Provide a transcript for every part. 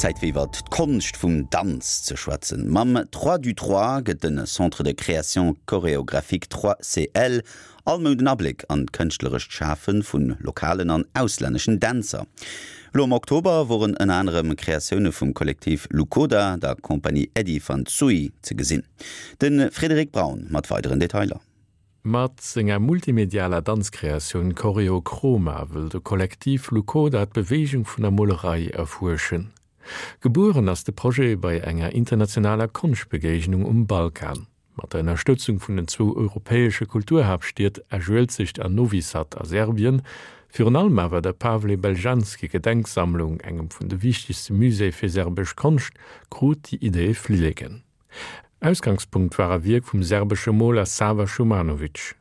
Zäit fir iwwert d'Konscht vum Danz ze schwätzen. Mam Trois du Trois gëtt de Centre de Création Chorégraphique 3CL all Mount en Abléck an d'kënschtlerescht Schafe vu lokalen an auslänneschen Dänzer. Elo am Oktober woren ënner anerem Kreatioune vum Kollektiv Lukoda, der Compagnie Eddie van Zui ze gesinn. De Frédéric Braun mat weideren Detailer. Mat senger multimedialer Danzkreatioun Choreo Chroma wëll de Kollektiv Lukoda d'Beweegung vun der Molerei erfuerschen. Gebueren ass de Projet bei enger internationaler Konschtbegéignung um Balkan. Mat der Ënnerstëtzung vun den zwou europäesche Kulturhaaptstied Esch-Uelzecht an Novi Sad a Serbien, virun allem awer der Pavle Beljanski Gedenksammlung, engem vun de wichtegste Muséeë fir serbesch Konscht, krut déi Idee Flilleken. Ausgangspunkt war e Wierk vum serbesche Moler Sava Šumanović.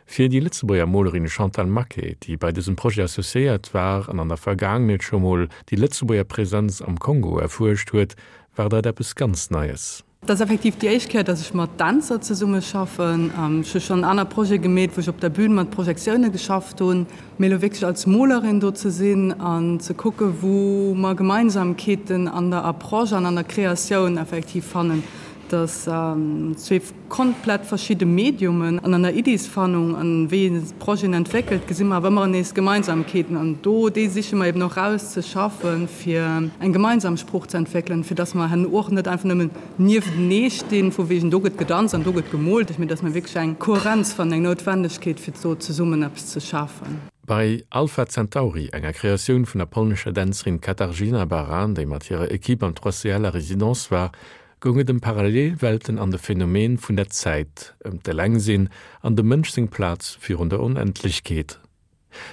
Fir déi Lëtzebuerger Molerin Chantal Maquet, déi bei dësem Projet associéiert war an an der Vergaangenheet scho mol déi Lëtzebuerger Presenz am Kongo erfuerscht huet, war dat eppes ganz Neies. Et ass effektiv déi éischt Kéier, dass ech mat Dänzer zesummeschaffen. Ech hu schonn aner Projete gemeet, wou ech op der Bühn mat Projektioune geschafft hunn. Mee elo wierklech als Molerin do ze sinn an ze kucke wou mer Gemeinsamkeeten an der Approche an an der Kreatioun effektiv fannen, dass zwee komplett verschidde Mediumen an an der Iddisfannung an wéi een Projeten entwéckelt, gesi mer awer ëmmer nees Gemeinsamkeeten an do déi siche mer eben och raus ze schaffen, fir eng gemeinsam Sprooch ze entwéckelen, fir dass mer herno och net einfach nëmmen nieftenee stinn, vu wegen do gëtt gedanzt an do gëtt gemoolt, mee dass mer wierklech eng Kohärenz fannen, eng Noutwendegkeet fir do zesummen eppes ze schafen. Bei Alpha Centauri, enger Kreatioun vun der polnescher Dänzerin Katarzyna Baran, déi mat hirer Equipe am 3CL a Residence war, goung et ëm Parallelwelten an de Phänomen vun der Zäit, ëm d'Elengsinn an dem Mënsch seng Plaz virun der Onendlechkeet.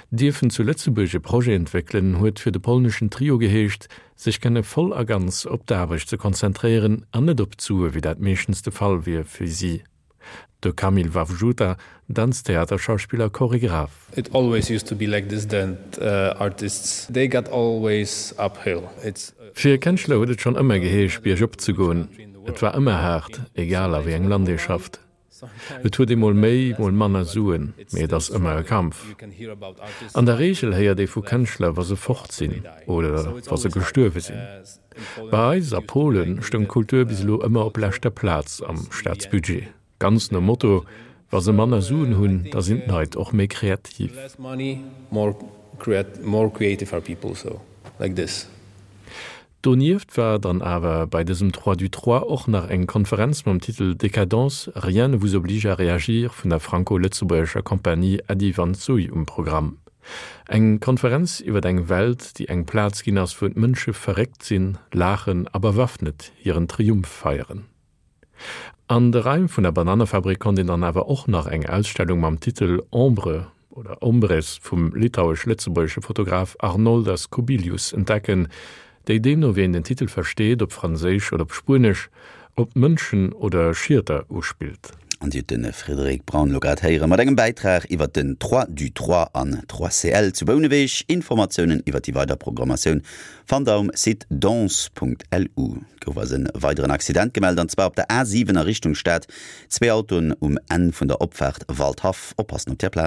Dierfen zu Lëtzebuerg e Projet entwéckelen, huet fir de polneschen Trio geheescht, sech kënne voll a ganz op d'Aarbecht ze konzentréieren an net op d'Sue wéi dat meeschtens de Fall wier fir si. De Kamil Wawrzuta, Danztheaterschauspiller, Choregraph. It always used to be like this that artists they got always uphill. It's. Fir Kënschtler huet et schonn ëmmer geheescht, biergop ze goen. Et war ëmmer haart, egal a wéi engem Land ee schafft. Et huet ee mol méi, mol manner Suen, mee et ass ëmmer e Kampf. An der Reegel héiert ee vu Kënschtler, wa se fort sinn oder wa se gestuerwe sinn. Bei eis a Polen stoung d'Kultur bis elo ëmmer op leschter Plaz am Staatsbudget. Ganz nom Motto, Wa se manner Suen hunn, da sinn d'Leit och méi kreativ. Donieft war dann awer bei dësem Trois du Trois och nach eng Konferenz mam Titel Décadence, rien ne vous oblige à réagir vun der franco-lëtzebuergescher Compagnie Äddi Van Zui um Programm. Eng Konferenz iwwer eng Welt, déi eng Plaz ginn ass, wou d'Mënsche verréckt sinn, laachen a bewaffnet hiren Triumph feieren. An de Raim vun der Banannefabrik konnt een dann awer och nach eng Ausstellung mam Titel Ombre oder Ombres vum litauesch-lëtzebuergesche Fotograf Arnoldas Kubilius entdecken, déi deemno wéi een den Titel versteet, op Franséisch oder op Spuenesch, op Mënschen oder Schieter uspillt. An Dir hutt de Frédéric Braun elo grad héiere mat engem Bäitrag iwwer den Trois du Trois an Trois CL zu Bouneweg. Informatiounen iwwer déi weider Programmatioun Fannt der um Site danse.lu. Gouf eis en weideren Accident gemellt, an zwar op der A 7 a Richtung Stad. Zwee Autoen um Enn vun der Opfaart Waldhaff. Oppassen op där Plaz.